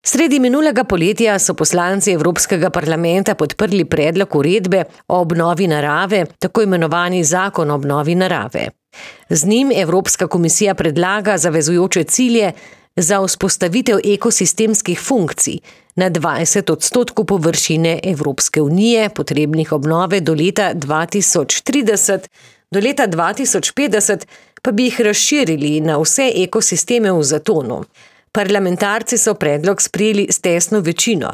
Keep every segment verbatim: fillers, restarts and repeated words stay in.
Sredi minulega poletja so poslanci Evropskega parlamenta podprli predlog uredbe o obnovi narave, tako imenovani zakon o obnovi narave. Z njim Evropska komisija predlaga zavezujoče cilje za vzpostavitev ekosistemskih funkcij na dvajset odstotkov površine Evropske unije, potrebnih obnove do leta dva tisoč trideset, do leta dva tisoč petdeset pa bi jih razširili na vse ekosisteme v zatonu. Parlamentarci so predlog sprejeli s tesno večino.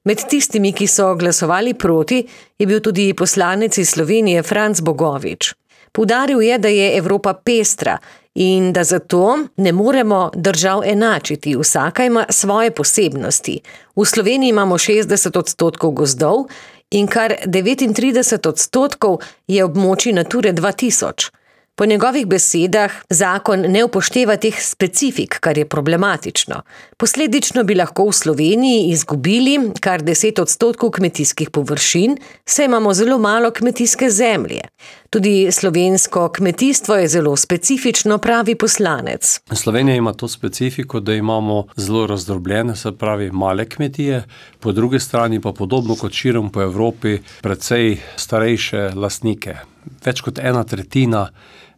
Med tistimi, ki so glasovali proti, je bil tudi poslanec iz Slovenije Franc Bogovič. Poudaril je, da je Evropa pestra in da zato ne moremo držav enačiti, vsaka ima svoje posebnosti. V Sloveniji imamo šestdeset odstotkov gozdov in kar devetintrideset odstotkov je območij Nature dva tisoč. Po njegovih besedah zakon ne upošteva teh specifik, kar je problematično. Posledično bi lahko v Sloveniji izgubili kar deset odstotkov kmetijskih površin, saj imamo zelo malo kmetijske zemlje. Tudi slovensko kmetijstvo je zelo specifično, pravi poslanec. Slovenija ima to specifiko, da imamo zelo razdrobljene, se pravi male kmetije, po drugi strani pa podobno kot širom po Evropi precej starejše lastnike. Več kot ena tretjina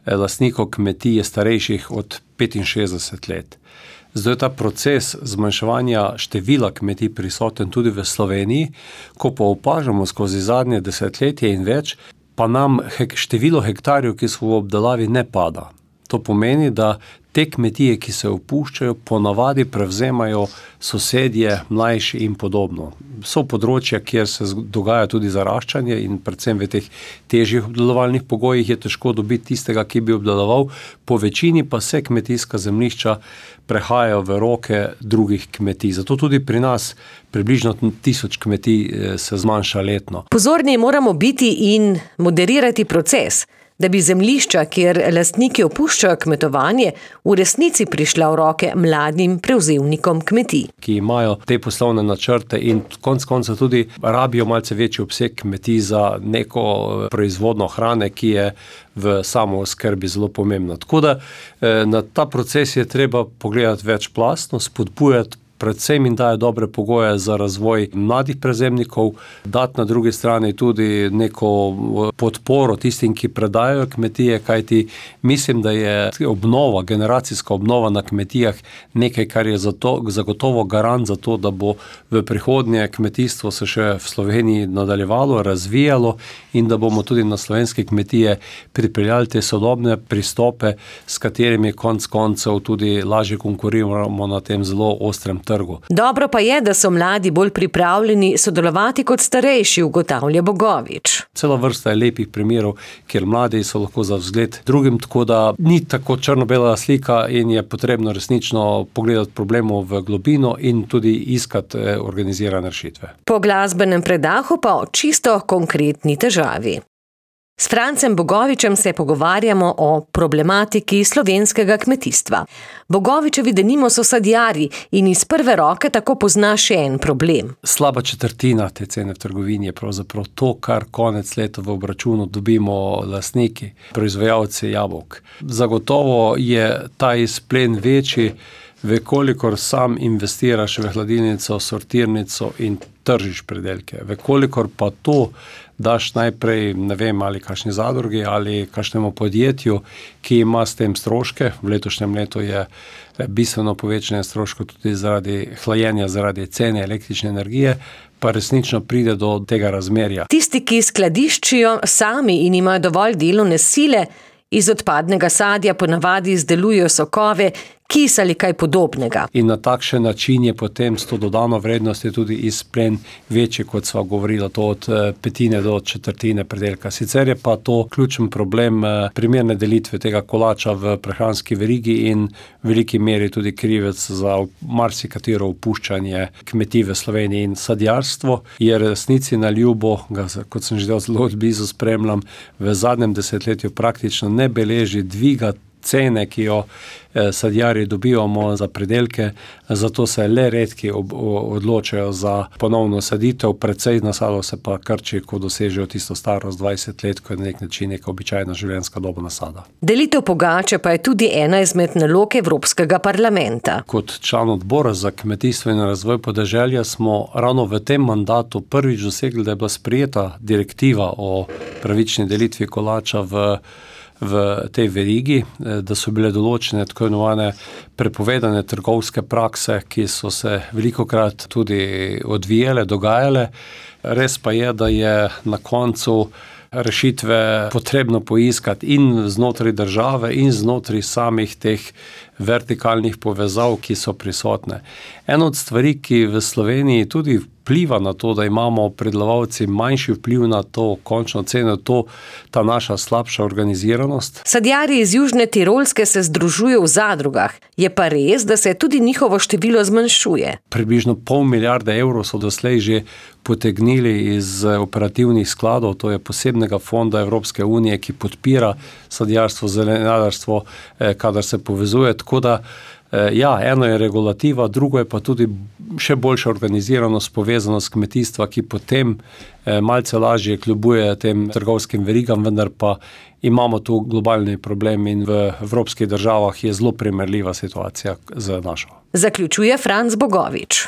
lastnikov kmetij je starejših od petinšestdeset let. Zdaj je ta proces zmanjševanja števila kmetij prisoten tudi v Sloveniji, ko pa opažamo skozi zadnje desetletje in več, pa nam hek, število hektarjev, ki so v obdelavi, ne pada. To pomeni, da te kmetije, ki se opuščajo, ponavadi prevzemajo sosedje, mlajši in podobno. So področja, kjer se dogaja tudi zaraščanje in predvsem v teh težjih obdelovalnih pogojih je težko dobiti tistega, ki bi obdeloval, po večini pa se kmetijska zemljišča prehajajo v roke drugih kmetij. Zato tudi pri nas približno tisoč kmetij se zmanjša letno. Pozorni moramo biti in moderirati proces, da bi zemljišča, kjer lastniki opuščajo kmetovanje, v resnici prišla v roke mladim prevzemnikom kmetij. Ki imajo te poslovne načrte in konec konca tudi rabijo malce večji obseg kmetij za neko proizvodno hrane, ki je v samooskrbi zelo pomembna. Tako da na ta proces je treba pogledati večplastno, spodbujati predvsem in daje dobre pogoje za razvoj mladih prevzemnikov, dati na drugi strani tudi neko podporo tistim, ki predajajo kmetije, kajti mislim, da je obnova, generacijska obnova na kmetijah nekaj, kar je zato, zagotovo garant za to, da bo v prihodnje kmetijstvo se še v Sloveniji nadaljevalo, razvijalo in da bomo tudi na slovenske kmetije pripeljali te sodobne pristope, s katerimi konec koncev tudi lažje konkuriramo na tem zelo ostrem trgu. Dobro pa je, da so mladi bolj pripravljeni sodelovati kot starejši, ugotavlja Bogovič. Cela vrsta je lepih primerov, kjer mladi so lahko za vzgled drugim, tako da ni tako črno-bela slika in je potrebno resnično pogledati problemov v globino in tudi iskati organizirane rešitve. Po glasbenem predahu pa o čisto konkretni težavi. S Francem Bogovičem se pogovarjamo o problematiki slovenskega kmetijstva. Bogovičevi denimo so sadjarji in iz prve roke tako pozna še en problem. Slaba četrtina te cene v trgovini je pravzaprav to, kar konec leta v obračunu dobimo lastniki, proizvajalci jabolk. Zagotovo je ta izplen večji, vekolikor sam investiraš v hladilnico, sortirnico in tržiš predelke. Vekolikor pa to daš najprej, ne vem, ali kakšni zadrugi ali kakšnemu podjetju, ki ima s tem stroške. V letošnjem letu je bistveno povečanje stroškov tudi zaradi hlajenja, zaradi cene električne energije, pa resnično pride do tega razmerja. Tisti, ki skladiščijo sami in imajo dovolj delovne sile, iz odpadnega sadja ponavadi izdelujejo sokove, kis ali kaj podobnega. In na takšen način je potem s to dodano vrednost je tudi izplen večji, kot sva govorila, to od petine do četrtine predelka. Sicer je pa to ključen problem primerne delitve tega kolača v prehranski verigi in v veliki meri tudi krivec za marsikatero opuščanje kmetij v Sloveniji. In sadjarstvo je resnici na ljubo, ga, kot sem že zelo blizu spremljam, v zadnjem desetletju praktično ne beleži dviga cene, ki jo sadjarji dobivamo za pridelke, zato se le redki ob, odločajo za ponovno saditev, precej nasadov se pa krči, ko dosežejo tisto starost dvajset let, ko je na nek način neka običajna življenjska doba nasada. Delitev pogače pa je tudi ena izmed nalog Evropskega parlamenta. Kot član odbora za kmetijstvo in razvoj podeželja smo ravno v tem mandatu prvič dosegli, da je bila sprejeta direktiva o pravični delitvi kolača v v tej verigi, da so bile določene tako imenovane prepovedane trgovske prakse, ki so se velikokrat tudi odvijale, dogajale. Res pa je, da je na koncu rešitve potrebno poiskati in znotraj države in znotraj samih teh vertikalnih povezav, ki so prisotne. Ena od stvari, ki v Sloveniji tudi vpliva na to, da imamo pridelovalci manjši vpliv na to končno ceno, to ta naša slabša organiziranost. Sadjarji iz Južne Tirolske se združujejo v zadrugah. Je pa res, da se tudi njihovo število zmanjšuje. Približno pol milijarde evrov so doslej že potegnili iz operativnih skladov, to je posebnega fonda Evropske unije, ki podpira sadjarstvo, zelenjadarstvo, kadar se povezuje. Tako da, ja, eno je regulativa, drugo je pa tudi še boljša organiziranost, povezanost kmetijstva, ki potem malce lažje kljubuje tem trgovskim verigam, vendar pa imamo tu globalni problem in v evropskih državah je zelo primerljiva situacija z našo. Zaključuje Franc Bogovič.